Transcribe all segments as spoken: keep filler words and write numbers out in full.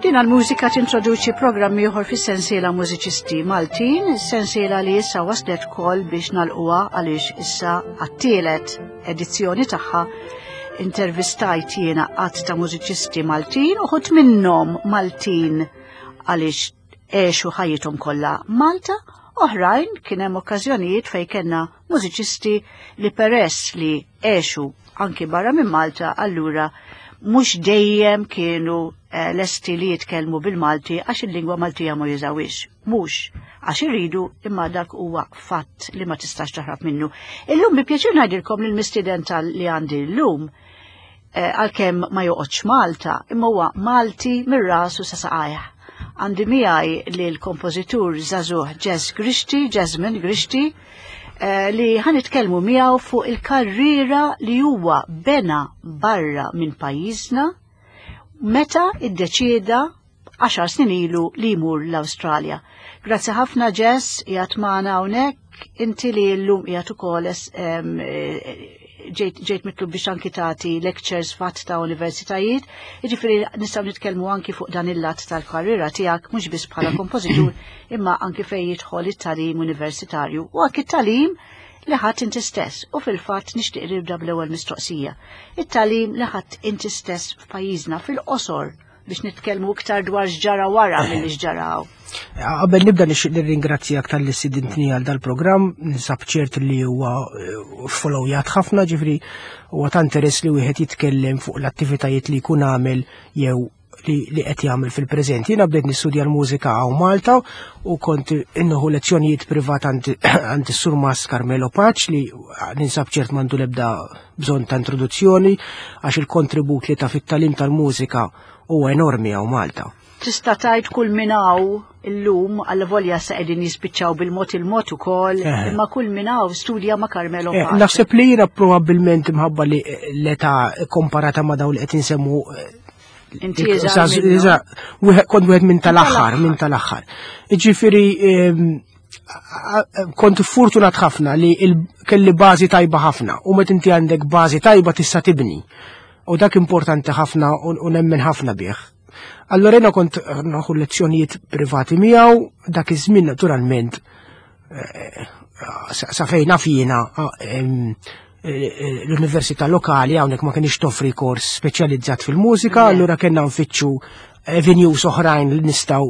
Din għal-mużika tintroduċi programm ieħor fis-sensiela Mużiċisti Maltin, sensiela li issa waslet kol biex nagħlquha għaliex issa għat-tielet edizzjoni tagħha intervistajt jiena għadd ta' mużiċisti Maltin, uħud minnhom Maltin għaliex għexu ħajjithom kollha Malta, oħrajn kien hemm okkażjonijiet fejn kellna mużiċisti li peress li għexu anki barra minn Malta, allura mhux dejjem kienu eh, lesti li jitkellmu bil-Malti għax il-lingwa Maltija ma jużawhiex. Mhux għax iridu imma dak huwa fatt li ma tistax taħrab minnu. Illum bi pjaċir ngħidilkom li l-mistieden tal li għandi llum eh, għalkemm ma joqgħodx Malta, imma huwa Malti mir-rasu sa saqajh. Għandi miegħi li l-kompożitur żagħżugħ Jazz Grixti, Jasmine Grixti, eh, li ħa nitkellmu miegħu fuq il-karriera li huwa bena barra minn pajjiżna meta iddeċieda għaxar snin ilu li jmur l-Awstralja. Grazzi ħafna Jess, qiegħed magħna hawnhekk, inti li llum qiegħed ukoll em, eh, ġejt ġejt mitlub biex anki tagħti lectures f'għadd ta' universitajiet, jiġifieri nistgħu nitkellmu anki fuq dan il-lat tal-karriera tiegħek mhux biss bħala kompożitur imma anki fejn jidħol it-tagħlim universitarju u anki it-tagħlim li ħadt inti stess u fil-fatt nixtieq nibda bl-ewwel mistoqsija. It-tagħlim li ħadt inti stess f'pajjiżna fil-qosor biex nitkellmu iktar dwar x'ġara wara milli x'ġaraw. Qabel nibda nixtieq nirringrazzjak talli stidintni għal dal-programm, ninsab ċert li huwa eh, followjat ħafna, ġifieri huwa ta' interess li wieħed jitkellem fuq l-attivitajiet li jkun għamel jew li, li qed jagħmel fil-preżent. Jiena bdejt nistudja l-mużika hawn Malta u kont nieħu lezzjonijiet privat għand is-Surmast Carmelo Pace li ninsab ċert m'għandu l-ebda bżonn ta' introduzzjoni għax il-kontribut li ta fit-tagħlim tal-mużika huwa enormi hawn Malta. Tista' tgħid kull min hawn illum għal volja sa qegħdin jispiċċaw bil-mod il-mod ukoll, Eh. imma kull min hawn studja ma' Carmelo Eh, Pace. Naħseb li jiena probabbilment imħabba li l-età komparata ma' dawn li qed insemmu eh, Inti iżgħar minnhom. Iżgħar, wieħed- kont wieħed minn tal-aħħar, tal-aħħar. minn tal-aħħar. Ġifieri ehm, a- a- kont fortunat ħafna li il- kelli bażi tajba ħafna u meta inti għandek bażi tajba tista' tibni. U dak importanti ħafna u u nemmen ħafna bih. Allora jiena kont nieħu lezzjonijiet privati miegħu, dak iż-żmien naturalment eh, sa sa fejn naf jiena em, eh, l-università lokali hawnhekk ma kienx toffri kors speċjalizzat fil-mużika, Le. allura kellna nfittxu avenues oħrajn li nistgħu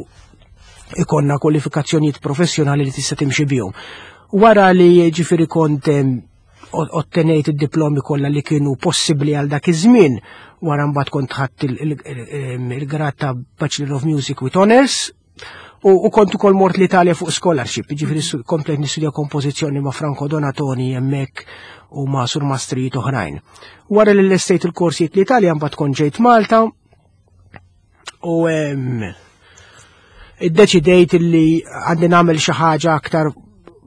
ikollna kwalifikazzjonijiet professjonali li tista' timxi bihom. Wara li ġifieri kont em, o- ottenejt id-diplomi kollha li kienu possibbli għal dak iż-żmien, wara mbagħad kont ħadt il- il- il- il-grad ta' Bachelor of Music with Honors, u, u kont ukoll mort l-Italja fuq scholarship, ġifieri su- komplet nistudja kompożizzjoni ma' Franco Donatoni hemmhekk u ma' surmastrijiet oħrajn. Wara li lestejt il-korsijiet l-Italja mbagħad kont ġejt Malta u em, iddeċidejt li għandi nagħmel xi ħaġa aktar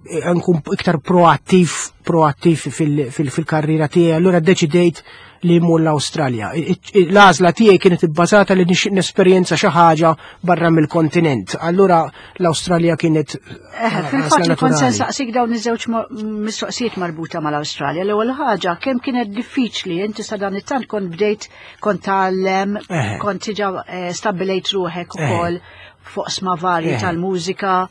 eh, nkun iktar proattiv proattiv fil- fil- fil-karriera tiegħi, allura ddeċidejt li mmur l-Awstralja. I- i- L-għażla tiegħi kienet ibbażata li nixtieq nesperjenza xi ħaġa barra mill-kontinent. Allura l-Awstralja kienet Eh, għażla Fil-fatt li kont se naturali. nsaqsik dawn iż-żewġ mo- mistoqsijiet marbuta mal-Awstralja. L-ewwel ħaġa kemm kienet diffiċli inti sa dan it-tant kont bdejt kont tgħallem, Eh. kont diġà eh, stabbilejt ruħek Eh. ukoll fuq oqsma varji Eh. tal-mużika.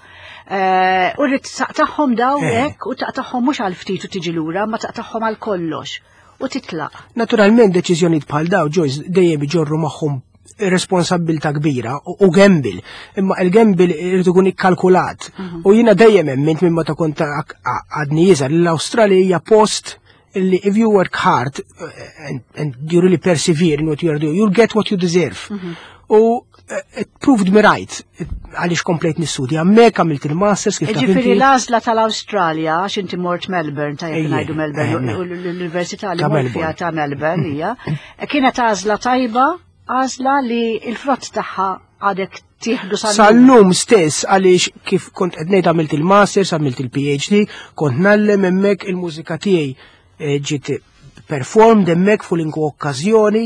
Eh, U rrid taqtagħhom daw Eh. hekk u taqtagħhom mhux għal ftit u tiġi lura, ma taqtagħhom għal kollox u titlaq. Naturalment deċiżjonijiet bħal daw Joyce dejjem iġorru magħhom responsabilta kbira u u gamble. Imma il-gamble irid ikun ikkalkulat. U jiena dejjem emmint minn meta kont ak- a- għadni iżgħar li l-Awstralja hija post li if you work hard uh, and, and you really persevere in what you are doing, you'll get what you deserve. U uh, it proved me right għaliex komplejt nistudja. Hemmhekk għamilt il-masters kif taf Ġifieri inti. l-għażla tal-Awstralja, għax inti mort Melbourne, tajjeb Ejje, ngħidu Melbourne, eh, u l-Università li Ta' mort fiha Melbourne. ta' Melbourne hija, kienet għażla tajba, għażla li l-frott tagħha għadek tieħdu sal Sal-lum stess għaliex kif kont qed ngħid għamilt il-masters, għamilt il-PhD, kont ngħallem hemmhekk il-mużika tiegħi eh, ġiet performed hemmhekk fuq l okkażjoni,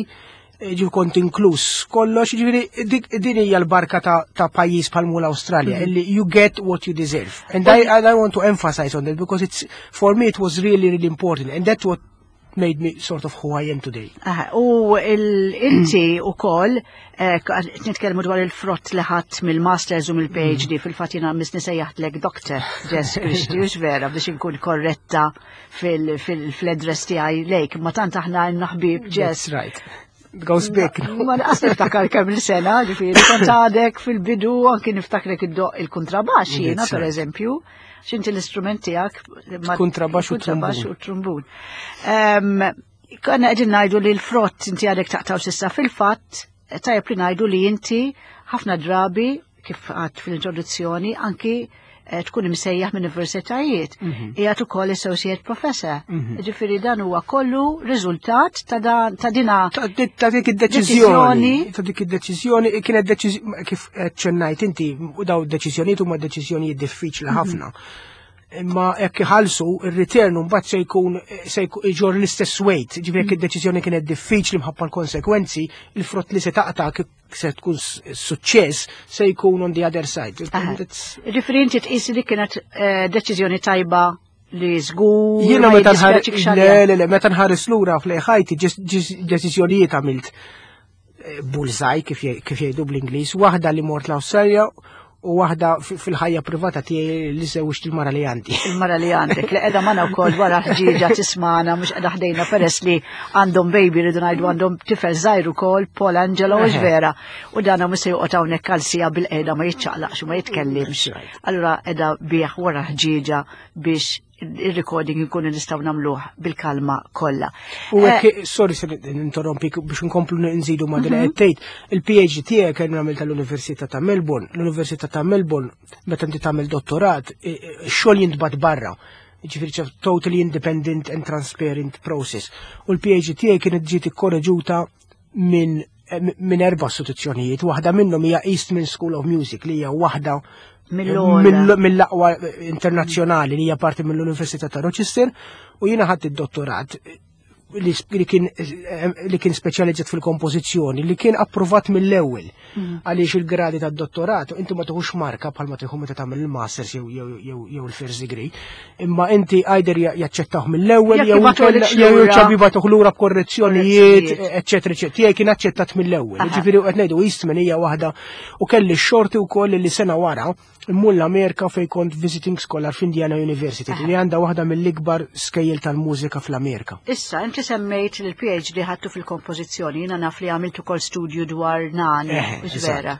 eh, ġi kont inkluż kollox, ġifieri dik din hija l-barka ta', ta' pajjiż bħal mu l-Awstralja, illi you get what you deserve. And I, and I want to emphasize on that because it's for me it was really really important and that's what made me sort of who I am today. Aha, u inti u koll, eh, nitkellmu dwar il-frott li ħadd mill-Masters u mill-P H D, fil-fatt jiena missni sejjaħtlek Doctor Jess Grixti, hux vera, biex inkun korretta fil-address tiegħi lejk, ma tant aħna ħbieb, Jess. That's right. It goes back. Ma naqas niftakar kemm il-sena, ġifieri, kont għadek fil-bidu, anki niftakrek iddoqq il-kontrabax jiena, per eżempju, x'inti l-istrument tiegħek? Kontrabax u Kontrabax u trumbun. Konna qegħdin ngħidu li l-frott inti għadek taqtaw s'issa. Fil-fatt, tajjeb li ngħidu li inti ħafna drabi, kif għedt fil-introduzzjoni, anki eh, tkun imsejjaħ minn universitajiet. Mhm. Qiegħed ukoll associate professor. Mhm. Ġifieri dan huwa kollu riżultat ta' ta' dina Ta' dik id-deċiżjoni. Ta' dik id-deċiżjoni kienet deċiżjoni, kif ċennajt inti, u daw deċiżjonijiet huma deċiżjonijiet diffiċli mhm. ħafna. Imma jekk iħallsu, ir-return mbagħad se jkun se jġor l-istess weight. Ġifieri jekk id-deċiżjoni kienet diffiċli mħabba l-konsekwenzi, il-frott li se taqta' se tkun suċċess se jkun on the other side. Ġifieri inti tqis li kienet eh, deċiżjoni tajba li żgur. Jiena meta nħares, le, le, le, meta nħares lura f'ħajti, deċiżjonijiet għamilt eh, bullseye, kif jgħidu bl-Ingliż, waħda li mort l-Awstralja u waħda fil-ħajja privata tiegħi li żewġt il-mara li għandi. Il-mara li għandek, li qiegħda magħna wkoll wara ħġieġa tismana, mhux qiegħda ħdejna peress li għandhom baby, rridu ngħidu għandhom tifel żgħir ukoll, Paul Angelo, hux vera? U dana mhux se joqgħod hawnhekk għal siegħa bil-qiegħda ma jiċċaqlaqx u ma jitkellimx. Allura qiegħda bih wara ħġieġa biex il-recording nkunu nistgħu nagħmluh bil-kalma kollha. U hekk, sorry se ninterrompi, biex nkomplu nżidu ma' din qed tgħid, il-P H D tiegħek kien nagħmel tal-Università ta' Melbourne. L-Università ta' Melbourne, meta inti tagħmel dottorat, x-xogħol jintbagħat barra. Ġifieri totally independent and transparent process. U l-P H D tiegħek kienet ġiet ikkoreġuta minn minn erba' istituzzjonijiet, waħda minnhom hija Eastman School of Music, li hija waħda mill-aqwa internazzjonali, li hija parti mill-Università ta' Rochester, u jiena ħadd id-dottorat li kien li kien speċjalizzat fil-kompożizzjoni, li kien approvat mill-ewwel, mm. għaliex il-gradi tad-dottorat inti ma tieħux marka bħal ma tieħu meta tagħmel il-masters jew jew il-first degree, imma inti either jaċċettawh mill-ewwel jew jew jibagħtuh lura b'korrezzjonijiet, eċċetera eċċetera. Tiegħi kien aċċettat mill-ewwel. Ġifieri qed ngħidu Eastman hija waħda, u kelli x-xorti wkoll li sena wara immur l-Amerika fej kont visiting scholar f'Indiana University, li għandha waħda mill-ikbar skejjel tal-mużika fl-Amerika. Issa, inti semmejt li l-P H D ħadtu fil-kompożizzjoni, jiena naf li għamiltu kol studju dwar Nani, vera?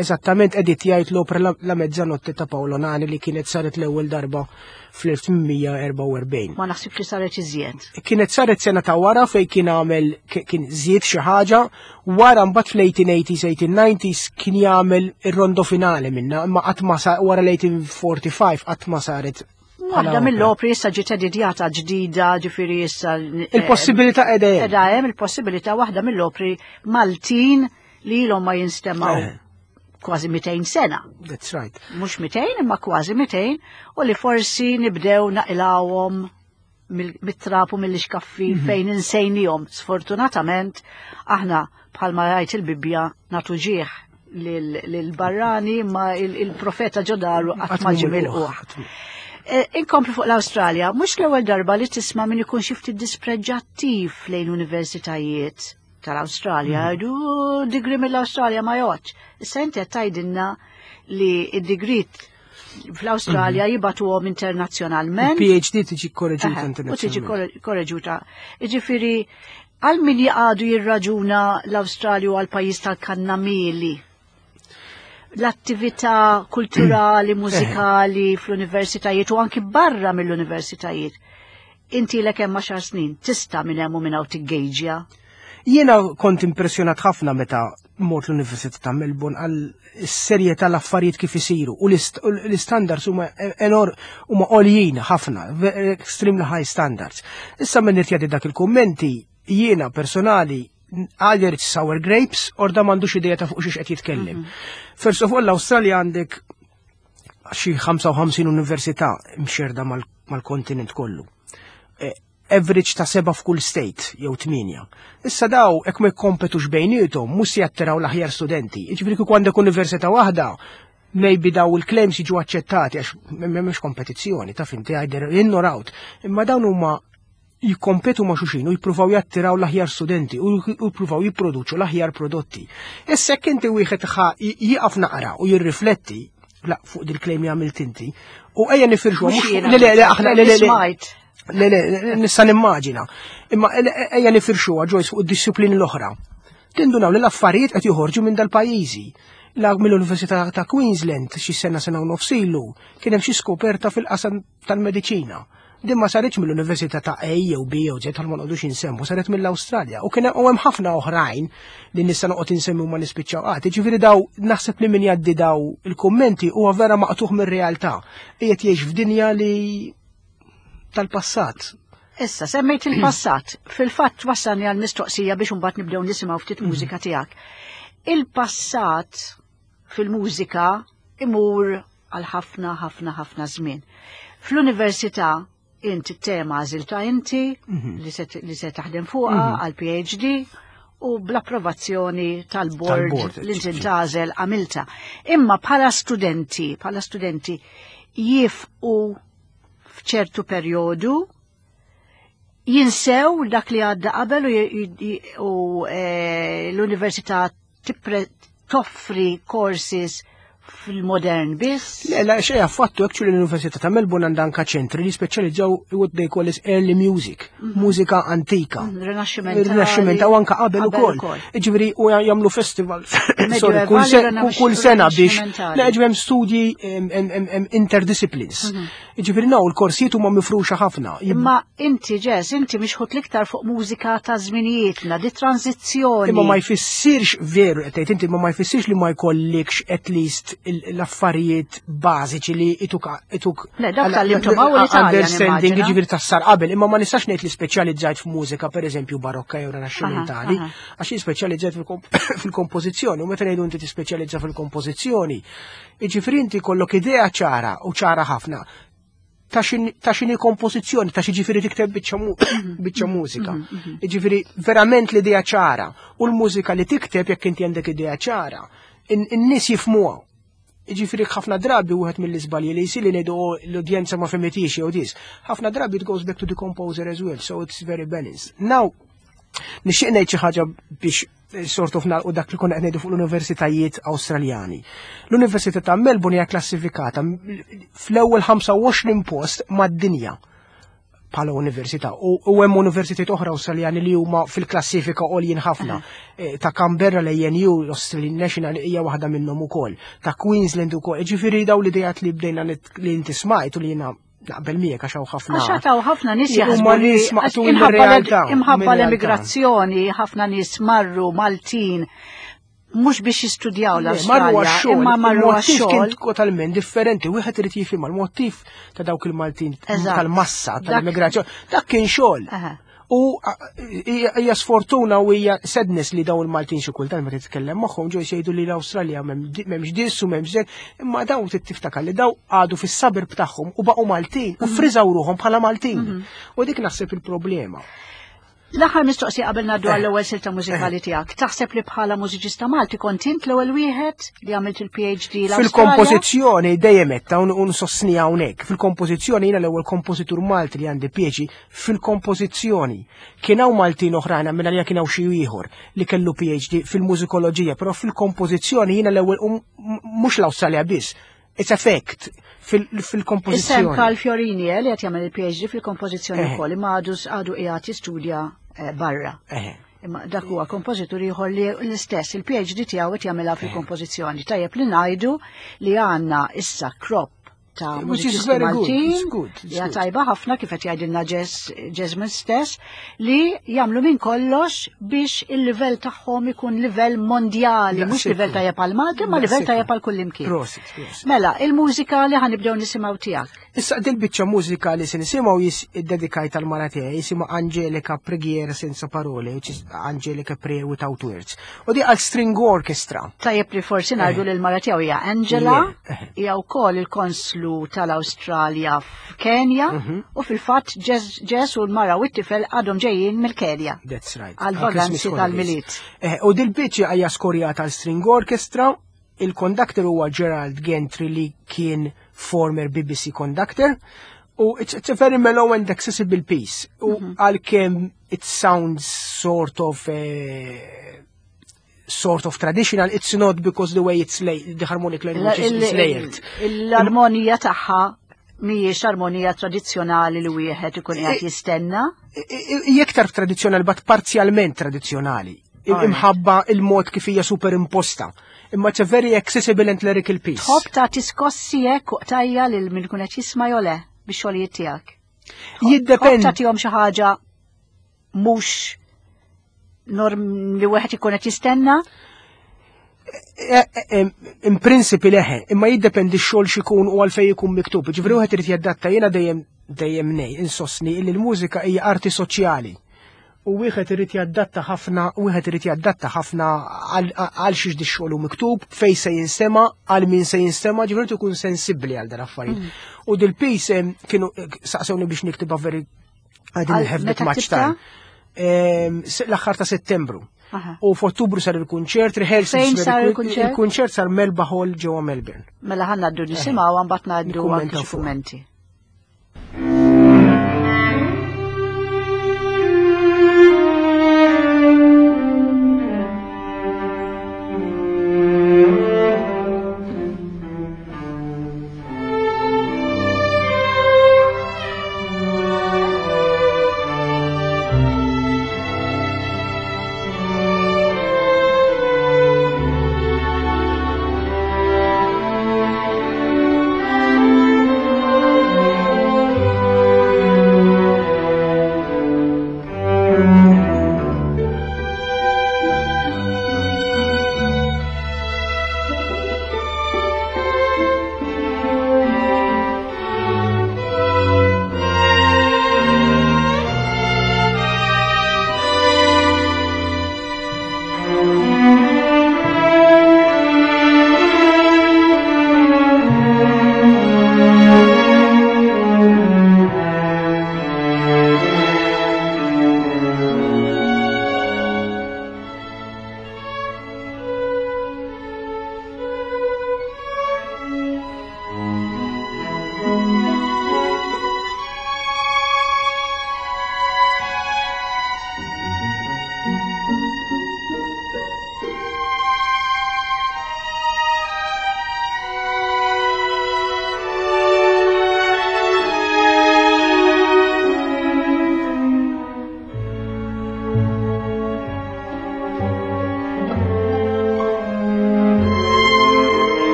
Eżattament, editjajt l-opera La Mezzanotte ta' Paolo Nani, li kienet saret l-ewwel darba fl-elf tmien mija erbgħa u erbgħin. Ma naħsibx li saret iżjed. Kienet saret sena ta' wara fej kien għamel, kien żied xi ħaġa, wara mbagħad fl-eighteen eighties, eighteen nineties kien jagħmel ir-rondo finale minna, imma qatt ma wara l-eighteen forty-five qatt ma saret. Waħda mill-opri issa ġiet editjata ġdida, ġifieri issa. Eh, il-possibilità qiegħda hemm. Qiegħda hemm il-possibilità, waħda mill-opri Maltin li ilhom ma jinstemgħu eh. kważi mitejn sena. That's right. Mhux mitejn, imma kważi mitejn, u li forsi nibdew naqilgħuhom mit-trab u mill-ixkaffi mhm. fejn insejnihom. Sfortunatament, aħna bħalma jgħid il-Bibbja nagħtu ġieħ lil-barrani, ma il-profeta ġo daru qatt ma ġie milqugħ. Eh, inkomplu fuq l-Awstralja, mhux l-ewwel darba li tisma' min ikun xi ftit dispreġġattiv lejn universitajiet tal-Awstralja, jgħidu degree mill-Awstralja ma jgħoddx. Issa inti qed tgħidilna li id-degree fl-Awstralja jibagħtuhom internazzjonalment. P H D tiġi korreġuta U tiġi internazzjonalment. korreġuta. Ġifieri, għal min jgħadu jirraġuna l-Awstralja għal pajjiż tal-kannamieli, l-attività kulturali, mużikali fl-universitajiet u anki barra mill-universitajiet. Inti l hemm għaxar snin, tista' minn hemm u minn hawn tiggejġja. Jiena kont impressjonat ħafna meta mort l-Università ta' Melbourne għal serjetà l-affarijiet kif isiru u l-ist- u l-standards huma enor huma għoljin ħafna, ve- extremely high standards. Issa minn irtjadi dak il-kummenti, jiena personali, either it's sour grapes or da m'għandux idea ta' fuq xiex qed jitkellem. First of all, l-Awstralja għandek xi ħamsa u ħamsin università mxerda mal- mal-kontinent kollu. Eh, average ta' seba f'kull state, jew tminja. Issa daw, hekk ma jkompetux bejniethom, mhux se jattiraw l-aħjar studenti. Jiġifieri kieku għandek università waħda, Maybe daw il-claims jiġu aċċettati għax m'hemmx kompetizzjoni, taf inti, either in or out. Imma dawn huma jikkompetu ma' xulxin u jippruvaw jattiraw l-aħjar studenti u jippruvaw jipproduċu l-aħjar prodotti. Issa jekk inti wieħed ħa jieqaf naqra u jirrifletti la fuq dil-claim li għamilt inti u ejja nifirxu Mhux jiena. Le, le, le, aħna, le, le, le. Smajt. Le, le, nista' nimmaġina. Imma ejja nifirxuha, Joyce, fuq id-disciplini l-oħra. Tindunaw li l-affarijiet qed joħorġu minn dal-pajjiżi. La mill-Università ta' Queensland xi sena, sena u nofs ilu, kien hemm xi skoperta fil-qasam tal-mediċina. Din ma saritx mill-Università ta' A jew B jew Z, tal ma noqogħdux insemmu, saret mill-Awstralja. U kien u hemm ħafna oħrajn li nista' noqgħod insemmi u ma nispiċċaw qatt. Ġifieri daw naħseb li min jgħaddi daw il-kummenti huwa vera maqtuħ mir-realtà. Qiegħed jgħix f'dinja li tal-passat. Issa, semmejt il-passat. Fil-fatt wassalni għal mistoqsija biex mbagħad nibdew nisimgħu ftit mużika tiegħek. Il-passat fil-mużika imur għal ħafna, ħafna, ħafna żmien. Fl-università inti tema għażilta inti li se, li se taħdem fuqha għal P H D u bl-approvazzjoni tal-board Tal-board, li inti tagħżel għamilta. Imma bħala studenti, bħala studenti jifqu f'ċertu perjodu, jinsew dak li għadda qabel u, j- j- u eh, l-università tippre- toffri courses fil-modern biss. Le, la, xej affattu, actually l-Università ta' Melbourne għandha anka ċentri li speċjalizzaw what they call is early music, mużika antika. Rinaxximentali. Il-Rinaxximent u anka qabel ukoll. Ġifieri u jagħmlu festival, sorry, kull Medjuevali, se- kull- kull sena biex Rinaxximentali. Le, ġifieri hemm studji em, em, em, em, interdisciplines. Ġifieri naw il-korsijiet huma mifruxa ħafna. Imma inti, Jess, inti mixħut l-iktar fuq mużika ta' żminijietna, di tranzizzjoni. Imma ma jfissirx, veru qed tgħid inti, ma ma jfissirx li ma jkollikx at least il- l-affarijiet bażiċi li ituk ituk Le, dak tgħallimthom hawn l-Italja, understanding nimmaġina. Ġifieri tas-sar qabel, imma ma nistax ngħid li speċjalizzajt f'mużika, pereżempju, barokka jew rinaxximentali, Aha, aha. għax jien speċjalizzajt fil-komp- fil-kompożizzjoni u meta ngħidu inti tispeċjalizza fil-kompożizzjoni, jiġifieri inti kollok idea ċara u ċara ħafna ta' x'in- ta' x'inhi kompożizzjoni, ta' xi tikteb biċċa mu- biċċa mużika. Jiġifieri verament l-idea ċara u l-mużika li tikteb, jekk inti għandek idea ċara, in- in-nies jifmuha. Jiġifieri ħafna drabi wieħed mill-iżbalji li jsir li ngħidu, "Oh, l-udjenza ma fehmitix" jew dis. Ħafna drabi it goes back to the composer as well, so it's very balanced. Now, nixtieq ngħid xi ħaġa biex eh, sort of nagħlqu dak li konna qed ngħidu fuq l-universitajiet Awstraljani. L-Università ta' Melbourne hija klassifikata fl-ewwel ħamsa u għoxrin post mad-dinja bħala università u u hemm universitajiet oħra Awstraljani li huma fil-klassifika għoljin ħafna. Eh, Ta' Canberra, l-A N U, l-Australian National, hija waħda minnhom ukoll. Ta' Queensland ukoll. Ġifieri daw l-idejat li bdejna nit- li inti smajt u li jiena naqbel miegħek għax hawn ħafna. Għax hawn ħafna nies Huma jaħsbu li nies maqtugħin imħabba l- mir-realtà, imħabba mir-realtà. l-emigrazzjoni, ħafna nies marru Maltin mhux biex jistudjaw Marru l-Awstralja, għax-xogħol, imma marru il-mottiv kien għax-xogħol. totalment differenti. Wieħed irid jifhimha, l-mottiv ta' dawk il-Maltin Eżatt. tal-massa Dak- tal-immigrazzjoni. Dak kien xogħol. Aha. U a- hija hija sfortuna u hija sadness li dawn il-Maltin xi kultant meta titkellem magħhom ġew jgħidu li l-Awstralja m'hemmx dis u m'hemmx dak, imma dawn trid tiftakar li daw għadu fis-suburb tagħhom u baqgħu Maltin u friżaw ruħhom bħala Maltin. U dik naħseb il-problema. L-aħħar mistoqsija qabel ngħaddu għall-ewwel silta mużikali tiegħek. Taħseb li bħala mużiċista Malti kont int l-ewwel wieħed li għamilt il-P H D l-Awstralja? Fil-kompożizzjoni dejjem qed un un sostni hawnhekk. Fil-kompożizzjoni jiena l-ewwel kompożitur Malti li għandi P H D fil-kompożizzjoni. Kien hawn Maltin oħrajn, minn għalija kien hawn xi ieħor li kellu P H D fil-mużikoloġija, però fil-kompożizzjoni jiena l-ewwel u m- mhux l-Awstralja biss. It's a fact fil- Issem fil-kompożizzjoni. Karl Fiorini eh, li qed jagħmel il-P H D fil-kompożizzjoni Eh. wkoll, imma għadu għadu qiegħed jistudja eh, barra. Eh. Imma dak huwa kompożitur ieħor li l-istess il-P H D tiegħu qed jagħmilha fil-kompożizzjoni. Tajjeb li ngħidu li għandna issa crop ta' Which is mużiċisti very good, Maltin it's good, it's hija good. tajba ħafna, kif qed jgħidilna Jess Jesmond stess, li jagħmlu minn kollox biex il-livell tagħhom ikun livell mondjali, mhux Daqshekk. livell tajjeb għal Malta, ma livell Daqshekk. tajjeb għal kullimkien. Prosit, prosit. Mela, il-mużika li ħa nibdew nisimgħu tiegħek. Issa dil biċċa mużika li se nisimgħu jis iddedikajt għal-mara tiegħi, jisimha Angelica Preghiera Senza Parole, which is Angelica Prayer Without Words. U di għal string orchestra. Tajjeb li forsi ngħidu li l-mara tiegħu hija Angela, Yeah. hija wkoll il-konslu tal-Awstralja f'Kenja Mhm. u fil-fatt Jess u l-mara u t-tifel għadhom ġejjin mill-Kenja. That's right. Għal Għal Christmas vaganzi holidays. tal-Milied. Eh, u dil-biċċa hija skorjata għal string orchestra. Il-conductor huwa Gerald Gentry li kien former B B C conductor. U it's, it's a very mellow and accessible piece. U mhm. għalkemm it sounds sort of uh, sort of traditional, it's not, because the way it's laid, the harmonic language is, is layered. L-armonija tagħha mhijiex armonija tradizzjonali li wieħed ikun qiegħed jistenna? Iktar tradizzjonali, but parzjalment tradizzjonali. Imħabba il-mod kif hija superimposta. Imma it's a very accessible and lyrical piece. Tħobb ta' skossi hekk u qtajja lil min ikun qed jisma' jew le bix-xogħlijiet tiegħek? Jiddependi. Tagħtihom xi ħaġa mhux norm li wieħed ikun qed jistenna? E, e, e, in principle leħe, imma jiddependi x-xogħol x'ikun u għalfej ikun miktub. Ġifieri wieħed irid jadatta. Jiena dejjem dejjem nej insostni li l-mużika hija arti soċjali. U wieħed irid jadatta ħafna, wieħed irid jadatta ħafna għal xiex di xogħol miktub, fej se jinstema, għal min se jinstema, ġifieri tkun sensibbli għal dan affarijiet. Mm. U dil-piece kienu saqsewni biex niktibha very, I didn't have that much time. L-aħħar ta' Settembru. U f'Ottubru sar il-kunċert, rehearsals. Fejn sar il-kunċert? Il-kunċert sar Melba Hall ġewwa Melbourne. Mela ħa ngħaddu nisimgħu, mbagħad ngħaddu anke xi kummenti.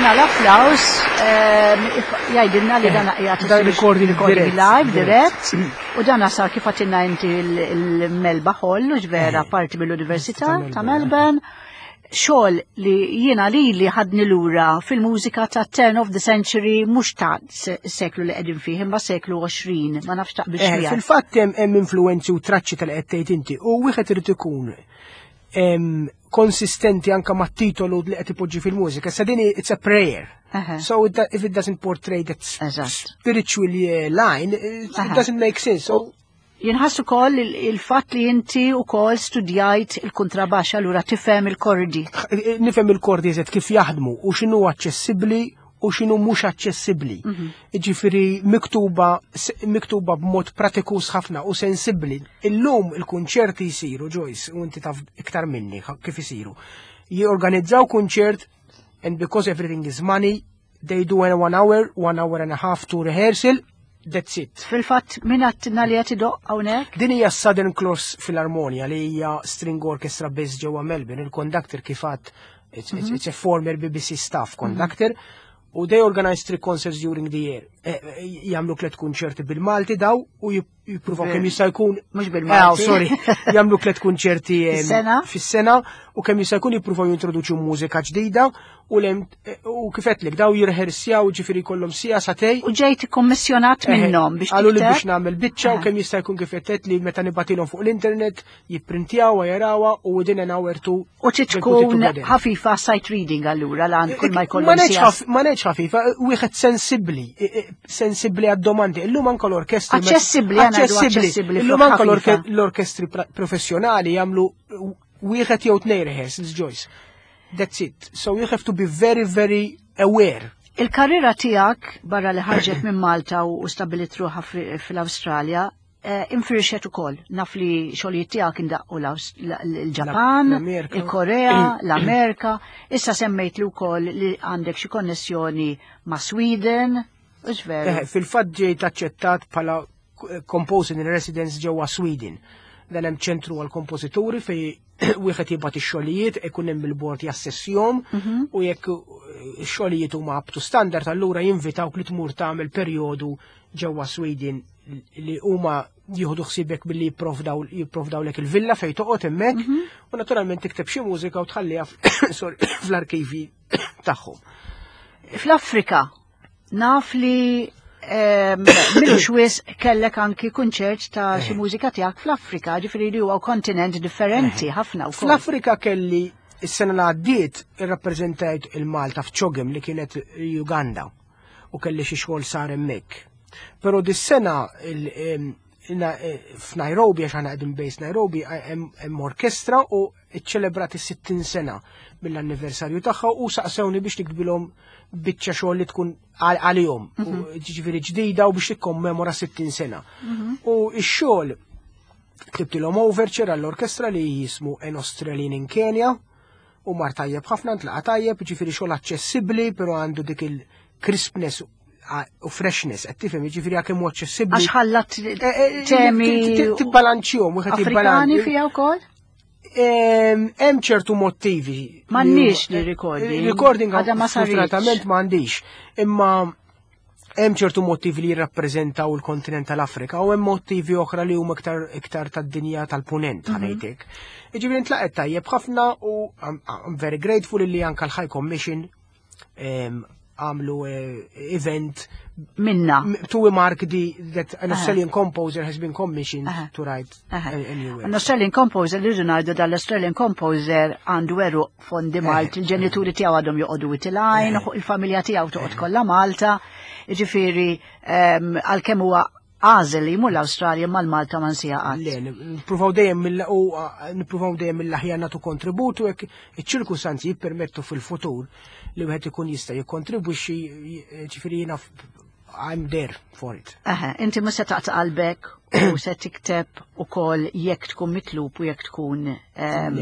Dana l-applaus ehm, jgħidilna li dana qiegħed Dan recording recording dirett, live dirett u dana sar kif għedtilna inti il-Melba Hall u ġvera parti mill-Università ta' Melbourne. Xogħol li jiena li li ħadni lura fil-mużika ta' turn of the century, mhux ta' se- seklu li qegħdin fih imma seklu għoxrin, ma nafx taqbilx Eh, miegħek. Fil-fatt hemm hemm influenzi u traċċi tal qed tgħid inti u wieħed irid ikun em, konsistenti anka mat-titolu li qed ipoġġi fil-mużika. Sa din it's a prayer. Aha. So it, if it doesn't portray that Eżatt. spiritual eh, line, it, it Aha. doesn't make sense. So Jinħass ukoll il- il-fatt li inti ukoll studjajt il-kontrabaxxa, allura tifhem il-kordi. Nifhem il-kordi eżatt kif jaħdmu u x'inhu aċċessibbli u x'inhu mhux aċċessibbli. Ġifieri miktuba s- miktuba b'mod pratikus ħafna u sensibbli. Illum il-kunċerti jsiru, Joyce, u inti taf iktar minni ħa- kif isiru. Jorganizzaw kunċert and because everything is money, they do in one hour, one hour and a half to rehearsal, that's it. Fil-fatt, min għedtilna li qed idoqq hawnhekk? Din hija Southern Cross Philharmonia li hija string orchestra based ġewwa Melbourne. Il-conductor kif għedt, it's, it's, it's a former B B C staff conductor u they organize three concerts during the year. Eh, eh, Jagħmlu tliet kunċerti bil-Malti daw u jip- jippruvaw kemm jista' jkun Mhux bil-Malti. Ah, sorry. Jagħmlu tliet kunċerti em, Fis-sena? Fis-sena u kemm jista' jkun jippruvaw jintroduċu mużika ġdida u lem u kif għedtlek daw jirrehearsjaw, ġifieri kollhom siegħa sagħtejn. U ġejt kommissjonat minnhom biex Qalu li tikteb? biex nagħmel biċċa u kemm jista' jkun kif qed li meta nibgħatilhom fuq l-internet jipprintjaw jarawha u within an hour two U trid they put it tkun together. ħafifa sight reading allura lan kull ma Ma jkollhom ngħidx sija. ħaf- ma ngħidx ħafifa, wieħed sensibbli, i- i- sensibbli għad-domandi. Illum anke l-orkestri Aċċessibbli, għana ngħidu aċċessibbli Illum flok anke l-orke- ħafifa. l-orkestri pra- professjonali jagħmlu wieħed jew tnejn rehearsals, Joyce. That's it. So you have to be very, very aware. Il-karriera tiegħek barra li ħarġet minn Malta u u stabilit ruħha fi- fil-Awstralja, eh, infirxet ukoll. Naf li xogħlijiet tiegħek indaqqu l-Aws- l- l-Ġapan, L-Amerika. il-Korea, l-Amerika. Issa semmejt li wkoll li għandek xi konnessjoni ma' Sweden. Hux veru? Eh, Fil-fatt ġejt aċċettat bħala composer in residence ġewwa Sweden. Dan hemm ċentru għal kompożituri fej wieħed jibgħat ix-xogħlijiet, ikun hemm il-bord jassessjom u jekk eh, ix-xogħlijiet huma up to standard, allura jinvitawk li tmur tagħmel perjodu ġewwa Sweden li huma jieħdu ħsiebek billi jipprovdaw jipprovdawlek il-villa fejn toqgħod hemmhekk u naturalment tikteb xi mużika u tħalliha f- sorry, fl-arkivi tagħhom. Fl-Afrika, naf li em, m'ilux wisq kellek anki kunċert ta' xi mużika tiegħek fl-Afrika, ġifieri li huwa kontinent differenti ħafna wkoll. Fl-Afrika kelli is-sena li għaddiet irrappreżentajt il-Malta f'CHOGM li kienet Uganda u kelli xi xogħol sar hemmhekk. Però dis-sena il- em, na- eh, f'Nairobi, għax aħna qegħdin based Nairobi, hemm hemm orkestra u ċċelebrat is-sittin sena mill-anniversarju tagħha u saqsewni biex niktbilhom biċċa xogħol li tkun għal- għalihom, u ġifieri ġdida u biex tikkommemora sittin sena. U x-xogħol ktibtilhom overture għall-orkestra li jismu An Australian in Kenya u mar tajjeb ħafna, ntlaqa tajjeb, ġifieri xogħol aċċessibbli, però għandu dik il-crispness u freshness, qed tifhem, ġifieri għakemm hu aċċessibbli. Għax ħallat Eh, eh, temi tibbalanċjhom, wieħed Afrikani jibbalanċ. fija wkoll? Em, Hemm ċertu motivi. M'għandniex li recording. Recording Għadha ma saritx. sfortunatament m'għandix. Imma hemm ċertu motivi li jirrappreżentaw il-kontinent tal-Afrika u hemm motivi oħra li huma iktar iktar tad-dinja tal-punent, ħa ngħidlek. Jiġifieri ntlaqet tajjeb ħafna u I'm, I'm very grateful li anka l-High Commission em, għamlu eh, event Minna. to mark the that an Australian composer has been commissioned Aha. to write Aha. a, a new work. An Australian composer, li rridu dal-Australian composer għandu għeruq fondi Malti, il-ġenituri tiegħu għadhom joqogħdu Wied il-Għajn, il-familja tiegħu toqgħod kollha Malta, ġifieri em, għalkemm huwa għażel li jmur l-Awstralja, mal-Malta ma nsieha qatt. Le, nippruvaw dejjem mill u nippruvaw dejjem mill-aħjar nagħtu kontributu jekk iċ-ċirkustanzi jippermettu fil-futur li wieħed ikun jista' jikkontribwixxi, ġifieri jiena f- I'm there for it. Aha, inti mhux se taqta' qalbek u se tikteb ukoll jekk tkun mitlub u jekk tkun em,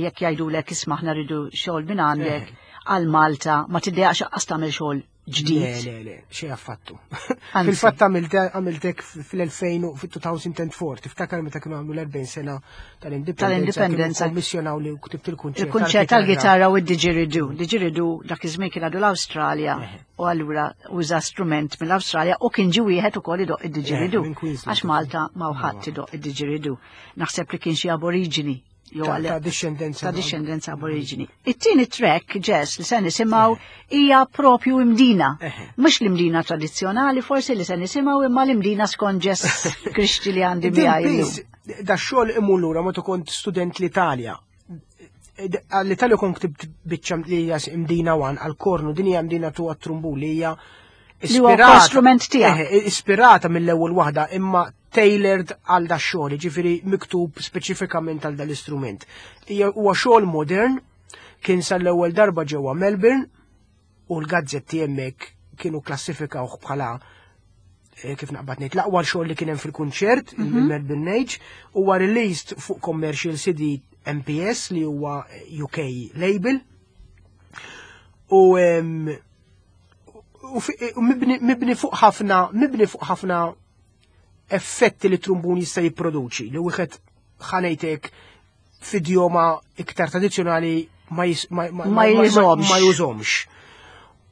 jekk jgħidulek, "Isma', aħna rridu xogħol minn għandek għal Malta", ma tiddejjaqx lanqas tagħmel xogħol ġdid. Le, le, le, xejn affattu. Fil-fatt għamiltek fl-elfejn, fil-elfejn u erbgħa, tiftakar meta kienu għamlu l-erbgħin sena tal-indipendenza. Tal-indipendenza. Kommissjonaw li ktibt il-kunċert. Il-kunċert tal-gitarra u d-didgeridoo. Didgeridoo dak iż-żmien kien għadu l-Awstralja u allura uża strument mill-Awstralja u kien ġi wieħed ukoll idoq id-didgeridoo. Għax Malta ma ħadd idoq id-didgeridoo. Naħseb li kien xi aborigini. Ta' discendenza. Ta' discendenza aborigini. It-tieni track, Jess, li se nisimgħu hija propju Imdina. Mhux l-Imdina tradizzjonali forsi li se nisimgħu, imma l-Imdina skont Jess Grixti li għandi miegħi. Da xogħol imur lura meta kont student l-Italja. L-Italja kont ktibt biċċa li hija Imdina one għal-kornu, din hija Imdina two għat-trumbun li hija Li huwa strument tiegħek. Ispirata mill-ewwel waħda, imma tailored għal da xogħol, ġifieri miktub speċifikament għal dal-istrument. Huwa xogħol modern, kien sar l-ewwel darba ġewwa Melbourne u l-gazzetti hemmhekk kienu klassifikawh bħala, eh, kif naqbad ngħid, l-aqwa xogħol li kien hemm fil-kunċert, il-Melbourne Age, huwa released fuq commercial C D M P S li huwa U K label. U u mibni fuq ħafna mibni fuq ħafna effetti li trumbun jista' jipproduċi li wieħed ħanejtek f'idjoma iktar tradizzjonali ma ma jużomx.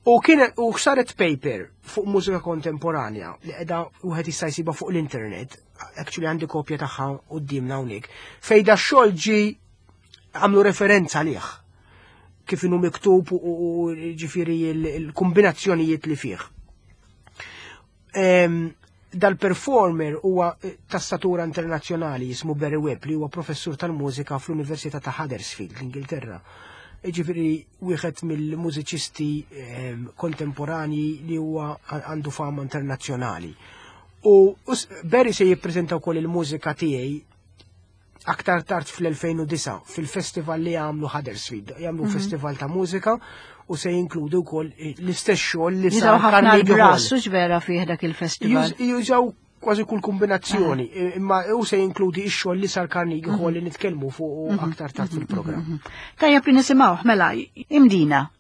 U kien u saret paper fuq mużika kontemporanja li qiegħda wieħed jista' jsibha fuq l-internet, actually għandi kopja tagħha qudiemna hawnhekk, fejn da xogħol ġi għamlu referenza lih kif inhu miktub u ġifieri l-kombinazzjonijiet li fih. Dal-performer huwa ta' statura internazzjonali, jismu Barry Webb, li huwa professur tal-mużika fl-Università ta' Huddersfield, l-Ingilterra. Ġifieri wieħed mill-mużiċisti kontemporani li huwa għandu fama internazzjonali. U Barry se jippreżenta wkoll il-mużika tiegħi aktar tard fl-elfejn u disgħa fil-festival li għamlu Huddersfield. Jagħmlu mm -hmm. festival ta' mużika u se jinkludu wkoll l-istess xogħol li sar ħafna l-brass vera fih dak il-festival. Jużaw kważi kull kombinazzjoni, imma u se jinkludi x-xogħol li sar Carnegie Hall li nitkellmu fuq mhm. aktar tard fil-programm. Mhm. Tajjeb li nisimgħu mela Imdina.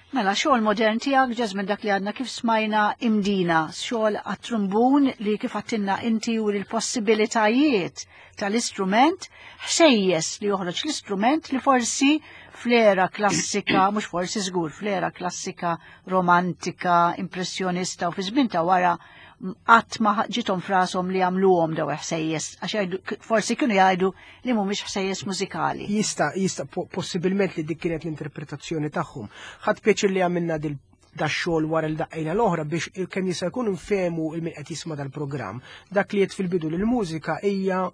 Mela, xogħol modern tiegħek, Jesmond, dak li għadna kif smajna, Imdina, xogħol għat-trumbun li kif għedtilna inti u l-possibilitajiet tal-istrument, ħsejjes li joħroġ l-istrument li forsi fl-era klassika, mhux forsi, żgur, fl-era klassika, romantika, impressjonista u fi żmien ta' wara qatt ma ġiethom f'rashom li jagħmluhom daw ħsejjes, għax forsi kienu jgħidu li mhumiex ħsejjes mużikali. Jista, jista, possibilment li dik kienet l-interpretazzjoni tagħhom. Ħadt pjaċir li għamilna dil da xogħol wara l-daqqejna l-oħra biex kemm jista' jkun nfehmu il min qed jisma' dal-programm. Dak li qed fil-bidu li l-mużika hija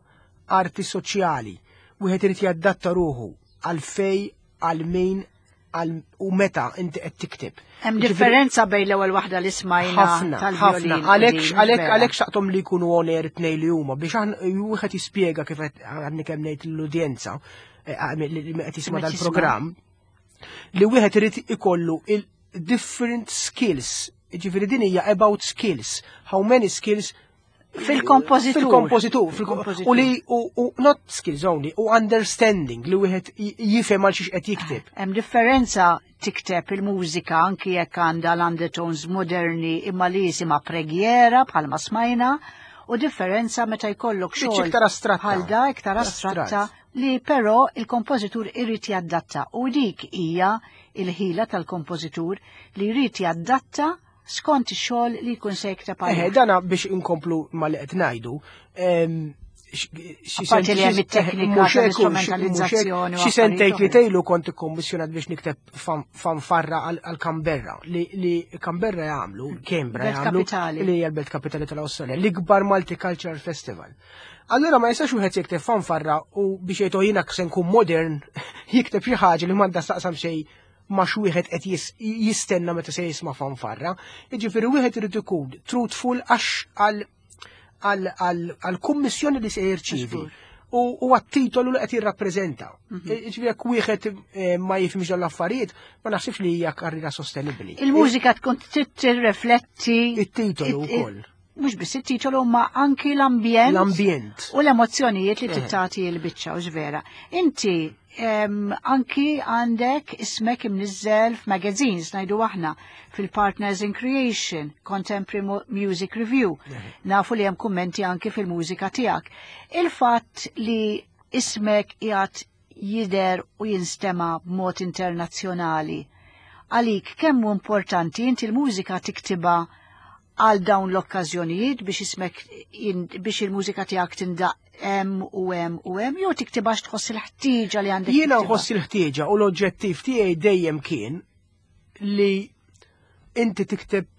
arti soċjali. Wieħed irid jadatta ruħu għal fej, għal min u meta inti qed tikteb. Hemm differenza bejn l-ewwel waħda li smajna. Ħafna, ħafna. Għalhekk għalhekk għalhekk xtaqthom li jkunu on air tnejn li huma biex wieħed jispjega kif qed għadni kemm ngħid l-udjenza eh, li qed jisma' dal-programm li wieħed irid ikollu il-different skills. Ġifieri din hija about skills. How many skills? Fil-kompożitur. Fil-kompożitur. U li, u not skills only, u understanding li wieħed jifhem għal xiex qed jikteb. Hemm differenza tikteb il-mużika anki jekk għandha l-undertones moderni imma li jisimha preghiera bħalma smajna u differenza meta jkollok xogħol iktar astratta. Bħal da iktar astratta li però il-kompożitur irid jaddatta u dik hija il-ħila tal-kompożitur li jrid jaddatta skont ix-xogħol li jkun se jikteb. Eħe, dana biex inkomplu ma li qed ngħidu. Apparti li hemm it-teknika tal-istrumentalizzazzjoni. Xi sentejn li tejlu kont ikkommissjonat biex nikteb fanfarra għal Canberra li Canberra jagħmlu, Canberra jagħmlu, li hija l-belt kapitali tal-Awstralja, l-ikbar Multicultural Festival. Allora ma jistax wieħed jikteb fanfarra u biex jgħidu jiena se nkun modern jikteb xi ħaġa li m'għandha x'taqsam xejn ma x'wieħed qed jistenna meta se jisma' fanfarra. Jiġifieri wieħed irid ikun truthful għax għal-kummissjoni li se jirċivi. U għat-titolu li qed jirrappreżenta. Mhm. Ġifieri jekk wieħed eh, ma jifhimx dawn l-affarijiet, ma naħsibx li hija karriera sostenibbli. Il-mużika tkun tirrifletti it-titolu wkoll. Mhux biss it-titolu ma anki l-ambjent. L-ambjent. U l-emozzjonijiet li tagħti l-biċċa u vera. Inti anki għandek ismek imniżżel f'magazines, ngħidu aħna fil-Partners in Creation, Contemporary Music Review. Nafu li hemm kummenti anki fil-mużika tiegħek. Il-fatt li ismek qiegħed jidher u jinstema b'mod internazzjonali. Għalik kemm hu importanti? Inti l-mużika tiktibha għal dawn l-okkażjonijiet biex ismek biex il-mużika tiegħek tindaq hemm u hemm u hemm jew tiktibha tħoss il-ħtieġa li għandek? Jiena nħoss il-ħtieġa u l-oġġettiv tiegħi dejjem kien li inti tikteb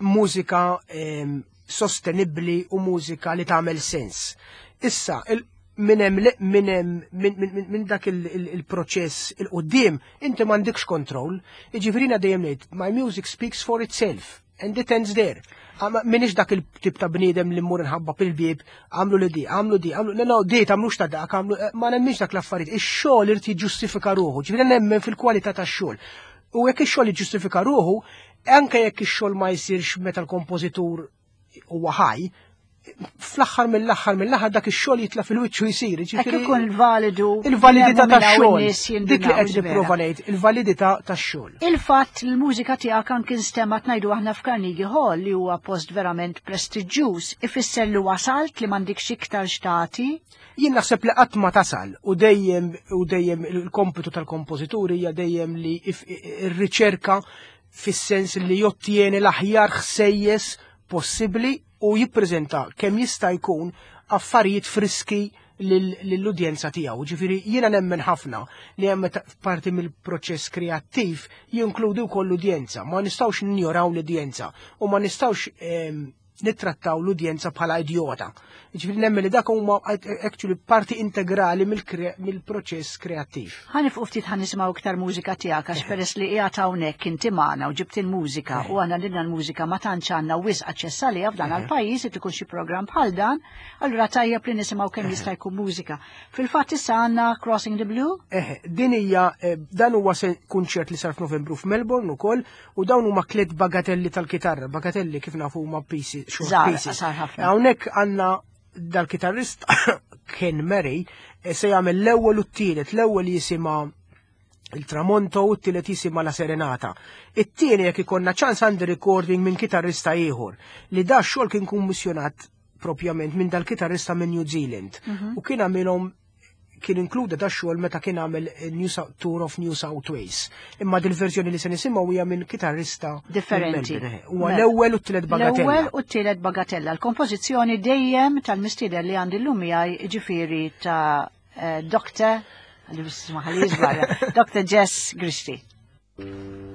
mużika sostenibbli u mużika li tagħmel sens. Issa, minn hemm minn dak il-proċess il-qudiem inti m'għandekx kontroll, jiġifieri dejjem ngħid my music speaks for itself and it ends there. Minix dak il-tip ta' bniedem li mmur nħabbat il-bieb, għamlu li di, għamlu di, għamlu, no, no, di, tagħmlux ta' dak, għamlu, eh, ma nemminx dak l-affarijiet. Ix-xogħol irid jiġġustifika ruħu, ġifieri nemmen fil-kwalità tax-xogħol. U jekk ix-xogħol jiġġustifika ruħu, anke jekk ix-xogħol ma jsirx meta l-kompożitur huwa ħaj, fl-aħħar mill-aħħar mill-aħħar dak ix-xogħol jitla' fil-wiċċu jsir. Hekk ikun il-validu. Il-validità tax-xogħol. Dik li qed nipprova ngħid, il-validità tax-xogħol. Il-fatt li l-mużika tiegħek anke instemgħet, ngħidu aħna, f'Carnegie Hall, li huwa post verament prestiġjuż, ifisser li wasalt, li m'għandekx iktar x'tagħti? Jien naħseb li qatt ma tasal u dejjem u dejjem il-kompitu tal-kompożituri hija dejjem li ir-riċerka fis-sens li jottieni l-aħjar ħsejjes possibbli u jippreżenta kemm jista' jkun affarijiet friski lill-udjenza tiegħu. Ġifieri jiena nemmen ħafna li hemm parti mill-proċess kreattiv jinkludi wkoll l-udjenza. Ma nistgħux ninjoraw l-udjenza u ma nistgħux ehm, nittrattaw l-udjenza bħala idiota. Ġifieri nemmen li dak huma actually parti integrali mill-proċess kreattiv. Ħa nieqfu ftit, ħa nisimgħu iktar mużika tiegħek għax peress li qiegħed hawnhekk inti magħna u ġibt il-mużika u għandna lilna l-mużika ma tantx għandna wisq aċċess għaliha f'dan għall-pajjiż irid ikun xi programm bħal dan, allura tajjeb li nisimgħu kemm jista' jkun mużika. Fil-fatt issa għandna Crossing the Blue. Eħe, din hija eh, dan huwa kunċert li sar f'Novembru f'Melbourne ukoll u dawn huma tliet bagatelli tal-kitarra. Bagatelli kif nafu huma pieces, short pieces. Hawnhekk għandna dal-kitarrist Ken Murray eh, se jagħmel l-ewwel u t-tielet, l-ewwel jisimha Il-Tramonto u t-tielet jisimha La Serenata. It-tieni, jekk ikollna ċans, għandi recording minn kitarrista ieħor li da xogħol kien kummissjonat propjament minn dal-kitarrista minn New Zealand u kien għamilhom, kien inkluda da xogħol meta kien għamel New South, Tour of New South Wales. Imma dil-verżjoni li se nisimgħu hija minn kitarrista minn Differenti. Melbourne. Huwa Mela. l-ewwel u t-tielet bagatella. L-ewwel u t-tielet bagatella. L-kompożizzjoni dejjem tal-mistieden li għandi llum miegħi, ġifieri ta' eh, Doctor Doctor Jess Grixti. Thank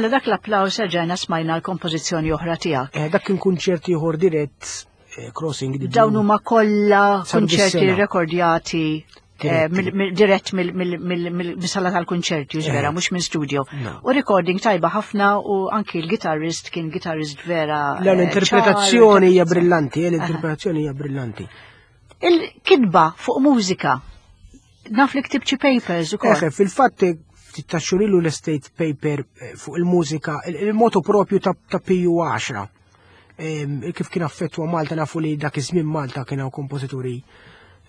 Mela dak l-applaws erġajna smajna l-kompożizzjoni oħra tiegħek. Eh, dak kien kunċert ieħor dirett eh, Crossing the Dawn huma kollha Saru kunċerti dis-sena. rekordjati eh, Diretti. mill- mill- dirett mill-sala tal-kunċerti, vera, Eh. mhux minn studio. No. U recording tajba ħafna u anki l-gitarrist kien gitarrist vera. Le, eh, l-interpretazzjoni ċar. hija brillanti, eh, l-interpretazzjoni hija brillanti. Il-kitba fuq mużika. Naf li ktibt xi papers ukoll. Eħe, fil-fatt ftit ta' xhur ilu l-state paper eh, fuq il-mużika, il- il-motu propju ta' ta' Piju għaxra. Em, Kif kien affettwa Malta, nafu li dak iż-żmien Malta kien hawn kompożituri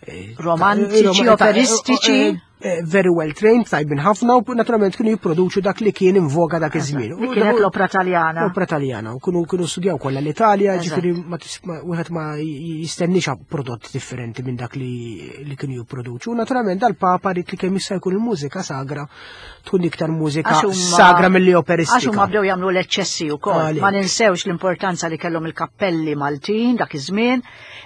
eh, ta' Romantiċi, eh, ta' operistiċi. eh, eh, very well trained, tajbin ħafna u naturalment kienu jipproduċu dak li kien in voga dak iż-żmien. Li kienet l-opra Taljana. L-opra Taljana, u kienu kienu studjaw kollha l-Italja, Eżatt. ġifieri ma tis- ma- wieħed ma jistennix prodott differenti minn dak li li kienu jipproduċu. U naturalment dal-Papa ried li kemm jista' jkun il-mużika sagra tkun iktar mużika Għax huma- sagra milli Għax operistika. huma bdew jagħmlu l-eċċessi wkoll. Għalhekk. Ma ninsewx l-importanza li kellhom il-kappelli Maltin dak iż-żmien.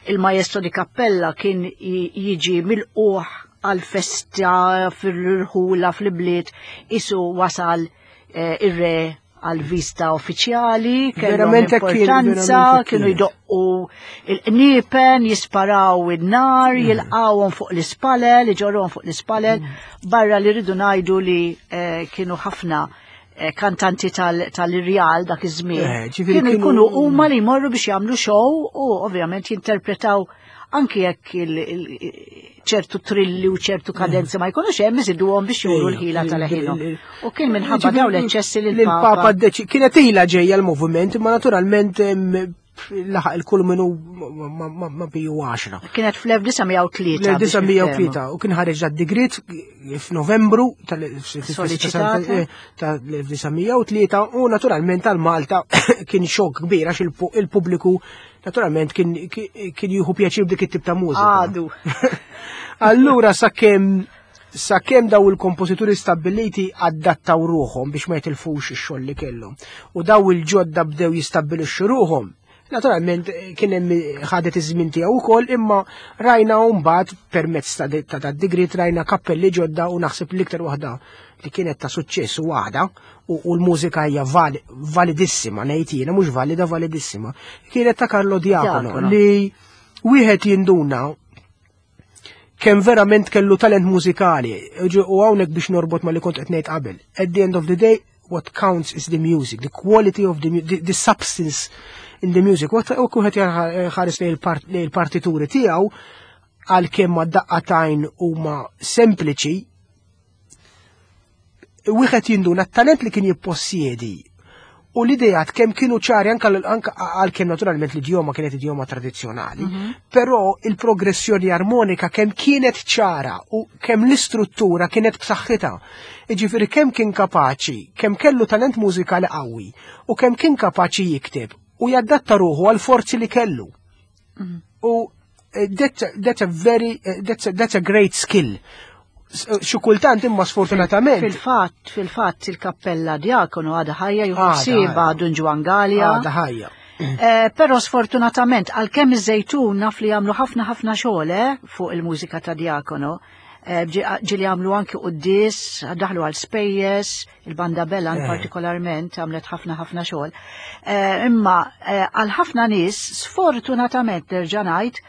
Il-maestro di cappella kien j- jiġi milqugħ għal-festa fil-rħula fl-bliet isu wasal eh, ir-re għal-vista uffiċjali, kellhom Verament hekk kien, importanza, verament hekk kienu kienet. jdoqqu il-qniepen, jisparaw in-nar, Mm. jilqawhom fuq l-ispalel, iġorruhom fuq l-ispalel, Mm. barra li rridu ngħidu li eh, kienu ħafna eh, kantanti tal- tal-irjal dak iż-żmien. Eh, ġifieri Kienu kienu- jkunu huma li jmorru biex jagħmlu show u ovvjament jinterpretaw anki jekk il- il- ċertu trilli u ċertu kadenzi ma jkunux hemm iżiduhom biex juru l-ħila tal-ħilhom. U kien minħabba dawn l-eċċessi li l-Papa l-Papa deċi kienet ilha ġejja l-moviment, imma naturalment em, laħaq il-kulminu ma- ma- ma Piju għaxra. Kienet fl-elf disa' mija u tlieta biex L-elf disa' mija u tlieta u kien ħareġ d-digrit f'Novembru Sollecitata. tal-elf disa' mija u tlieta u naturalment tal-Malta kien xokk kbir għax il-pu- il-pubbliku naturalment kien kien jieħu pjaċir b'dik it-tip ta' mużika. Għadu. Allura sakemm sakemm daw il-kompożituri stabbiliti adattaw ruħhom biex ma jitilfux ix-xogħol li kellhom. U daw il-ġodda bdew jistabbilixxu ruħhom. Naturalment eh, kien hemm ħadet iż-żmien tiegħu wkoll, imma rajna mbagħad permezz ta' ta' ta' digrit rajna kappelli ġodda u naħseb l-iktar waħda li kienet ta' suċċess u waħda u, u l-mużika hija val, validissima, ngħid jiena mhux valida, validissima. Kienet ta' Carlo Diacono Diacono. li wieħed jinduna kemm verament kellu talent mużikali. U hawnhekk biex norbot ma li kont qed ngħid qabel. At the end of the day, what counts is the music, the quality of the, mu- the, the substance in the music. U wieħed ħares lejn il-part- lejn il-partituri tiegħu, għalkemm ma daqqatajn huma sempliċi, wieħed jinduna t-talent li kien jippossjedi u l-idejat kemm kienu ċari anka anka għalkemm naturalment l-idjoma kienet idjoma tradizzjonali, però il-progressjoni armonika kemm kienet ċara u kemm l-istruttura kienet b'saħħitha. Iġifieri kemm kien kapaċi, kemm kellu talent mużikali qawwi u kemm kien kapaċi jikteb u jaddatta ruħu għal forzi li kellu. U eh, that's, a- that's a very, eh, that's a, that's a great skill. S- Xi kultant imma sfortunatament. Fil-fatt, fil-fatt il-kappella Diacono għadha ħajja Għadha juħsiba ħajja. Dun Ġwann Galea. Għadha ħajja. Eh, Però sfortunatament, għalkemm iż-Żejtun naf li jagħmlu ħafna ħafna xogħol eh, fuq il-mużika ta' Diacono. Eh, ġi- Ġieli jagħmlu anki quddies, daħlu għal spejjeż, il-Banda Bellan Eh. partikolarment għamlet ħafna ħafna xogħol. Eh, Imma eh, għal ħafna nies, sfortunatament nerġa' ngħid,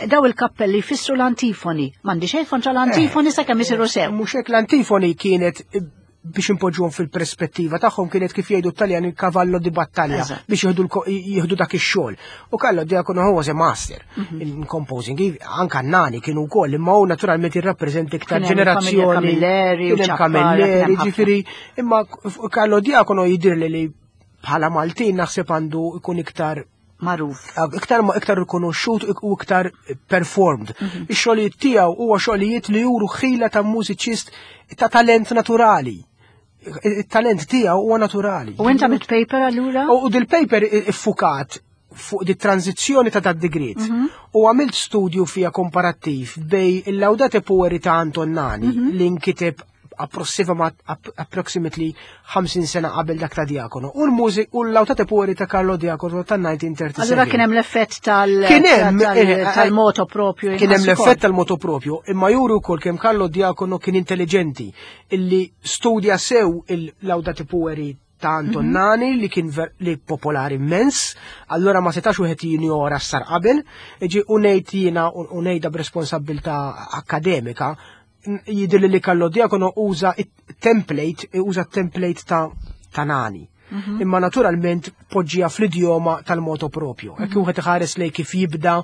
daw il-kappelli jfissru l-antifoni. M'għandi xejn kontra l-antifoni sakemm isiru sew. Mhux hekk, l-antifoni kienet eh, biex impoġġuhom fil-perspettiva tagħhom kienet kif jgħidu t-Taljan il cavallo di battaglia Eżatt. biex jieħdu l-ko- jieħdu dak ix-xogħol. U Carlo Diacono was a master Mhm. in composing. Anka Nani kienu wkoll, imma hu naturalment jirrappreżenta iktar Kien hemm il-familja ġenerazzjoni. Camilleri u Kien hemm Ciappara, kien Camilleri, hemm ħafna. ġifieri, imma Carlo Diacono jidirli li bħala Maltin naħseb għandu ikun iktar Magħruf. Iktar ma iktar rikonoxxut u iktar performed. Mhm. Ix-xogħlijiet tiegħu huwa xogħlijiet li juru ħila ta' mużiċist ta' talent naturali. Il-talent tiegħu huwa naturali. U inta mit paper allura? U dil-paper iffukat fuq di tranzizzjoni ta' dat digrit. Mhm. U għamilt studju fija komparattiv bejn il-Laudate Pueri ta' Anton Nani Mhm. li nkiteb approximately ħamsin sena qabel dak ta' Diacono u l-mużik u l-Laudate Pueri ta' Carlo Diacono ta' elf disa' mija u tlieta u tletin. Allura kien hemm l-effett tal- Kien hemm, tal- eh, eh, tal-moto propju. Kien hemm inħass l-effett ukoll. tal-moto propju, imma juru wkoll kemm Carlo Diacono kien intelligenti illi studja sew il-Laudate Pueri ta' Anton mm -hmm. Nani li kien li popolari immens, allora ma setax wieħed jinjora sar qabel, ġi u ngħid jiena u ngħidha b'responsabbiltà akademika, jidhirli li Carlo Diacono uża template, uża template ta' ta' Nani. Mhm. Imma naturalment poġġija fl-idjoma tal-moto propju. Hekk wieħed iħares lej kif jibda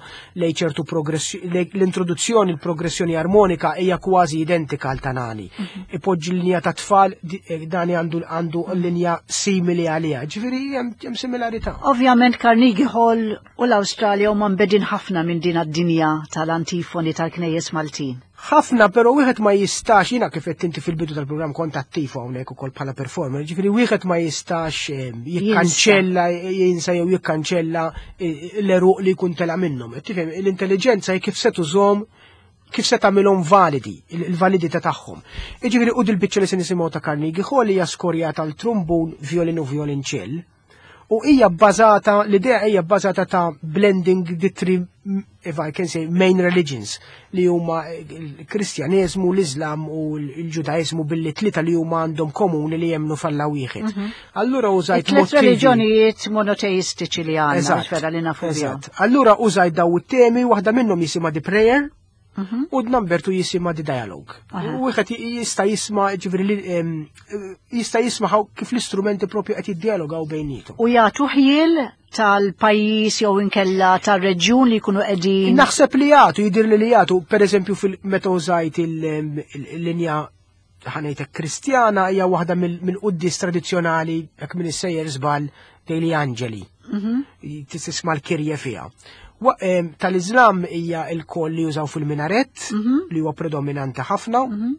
lej ċertu progressjoni, l-introduzzjoni, l-progressjoni armonika hija kważi identika għal ta' Nani. Mhm. Ipoġġi l-linja ta' tfal, eh, Dani għandu għandu linja simili għaliha. Ġifieri hemm similarità. Ovvjament Carnegie Hall u l-Awstralja huma mbegħdin ħafna minn din id-dinja tal-antifoni tal-knejjes Maltin. Ħafna, pero wieħed ma jistax, jiena kif qed inti fil-bidu tal-programm kont attiv hawnhekk ukoll bħala performer, ġifieri wieħed ma jistax eh, jikkanċella, jinsa jew jikkanċella eh, l-eruq li jkun tela minnhom. Tifhem, l-intelligenza hi kif se tużhom kif se tagħmilhom validi, il-validità tagħhom. Jiġifieri u dil-biċċa li se nisimgħu ta' Carnegie Hall hija skorjata għal trumbun, violin u violonċell. U hija bbażata, l-idea hija bbażata ta' blending the three, if I can say, main religions, li huma il-Kristjaneżmu, l-Islam u l-Ġudaizmu billi tlieta li huma għandhom komuni li jemmnu f'Alla wieħed. Mhm. Allura użajt Tliet reliġjonijiet monoteistiċi li għandna, vera li nafu Eżatt. Allura użajt daw it-temi, waħda minnhom jisimha The Prayer, mhm. u number two jisimha The Dialogue. U wieħed jista' jisma' ġifieri jista' jisma' kif l-istrumenti propju qed jiddialogaw bejnietom. U jagħtu ħjiel tal-pajjiż jew inkella tar-reġjun li jkunu qegħdin. Naħseb li jagħtu, jidir li li jagħtu, pereżempju fil-meta użajt il-linja ħa ngħidlek Kristjana hija waħda mill-quddis tradizzjonali jekk minn sejjer żball Degli Angeli. Mhm. Tisma' l-Kyrie fiha. Tal-Islam hija l-koll li jużaw fil-minaret, mhm. li huwa predominanti ħafna. Mhm.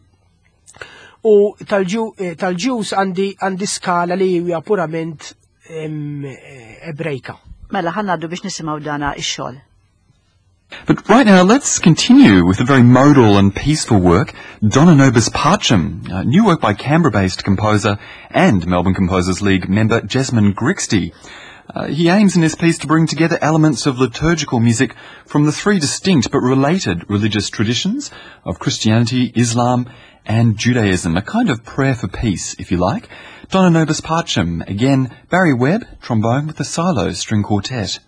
U tal-Jews għandi għandi skala li hija purament Ebrejka. Mela ħa ngħaddu biex nisimgħu dana ix-xogħol. But right now, let's continue with a very modal and peaceful work, Dona Nobis Pacem, a new work by Canberra-based composer and Melbourne Composers League member Jesmond Grixti. Uh, he aims in this piece to bring together elements of liturgical music from the three distinct but related religious traditions of Christianity, Islam and Judaism, a kind of prayer for peace, if you like. Dona Nobis Pacem, again, Barry Webb, trombone with the Silo String Quartet.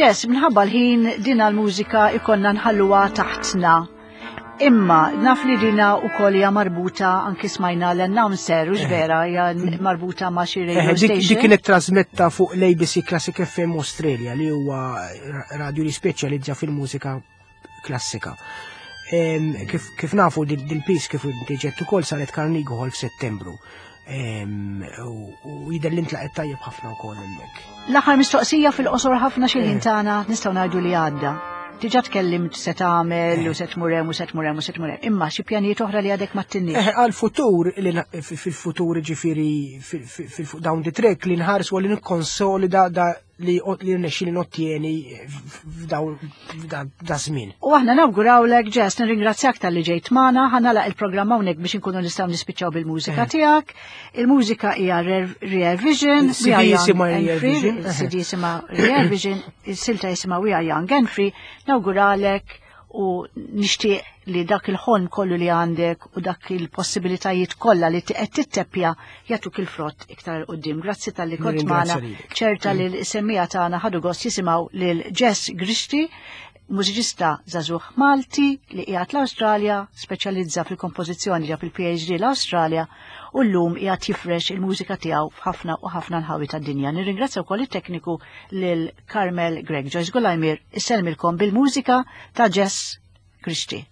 Jess, minħabba l-ħin din l-mużika ikollna nħalluha taħtna. Imma naf li dina wkoll hija marbuta anki smajna l-announcer, u vera hija marbuta ma' xi radio station. Dik kienet trasmetta fuq l-ABC Classic FM Australia li huwa radio li speċjalizza fil-mużika klassika. Kif, kif nafu dil-piece kif diġet ukoll saret Carnegie Hall f'Settembru. U jidher li ntlaqet tajjeb ħafna wkoll hemmhekk. L-aħħar mistoqsija fil-qosor ħafna xi ħin tagħna nistgħu ngħidu li għadda. Diġà tkellimt se tagħmel u se tmur hemm u se tmur hemm u se tmur hemm. Imma xi pjanijiet oħra li għadek ma ttinniex. Eh, għal-futur, fil-futur ġifieri down the track li nħarsu li nikkonsolida da li li rnexxieli nottieni f'dawn f'da żmien. U aħna nawgurawlek, Jess, nirringrazzjak talli ġejt magħna, ħa nagħlaq il-programm hawnhekk biex inkunu nistgħu nispiċċaw bil-mużika tiegħek. Il-mużika hija Rear Vision, Il-C D We Are Young jisimha and Rear Free, Vision. il-C D jisimha Rear Vision, il-silta jisimha We Are Young and Free. Nawguralek u nixtieq li dak il-ħolm kollu li għandek u dak il-possibilitajiet kollha li qed titteppja jagħtuk il-frott iktar 'il quddiem. Grazzi talli kont Nirringrazzja magħna. lilek. Ċerta li l-semmiegħa tagħna ħadu gost jisimgħu lil Jess Grixti, mużiċista żagħżugħ Malti li qiegħed l-Awstralja, speċjalizza fil-kompożizzjoni, ġab il-P H D l-Awstralja u llum qiegħed jifrex il-mużika tiegħu f'ħafna u ħafna nħawi tad-dinja. Nirringrazzja wkoll it-tekniku lil Carmel Greg. Joyce Gulajmir issellmilkom bil-mużika ta' Jess Grixti.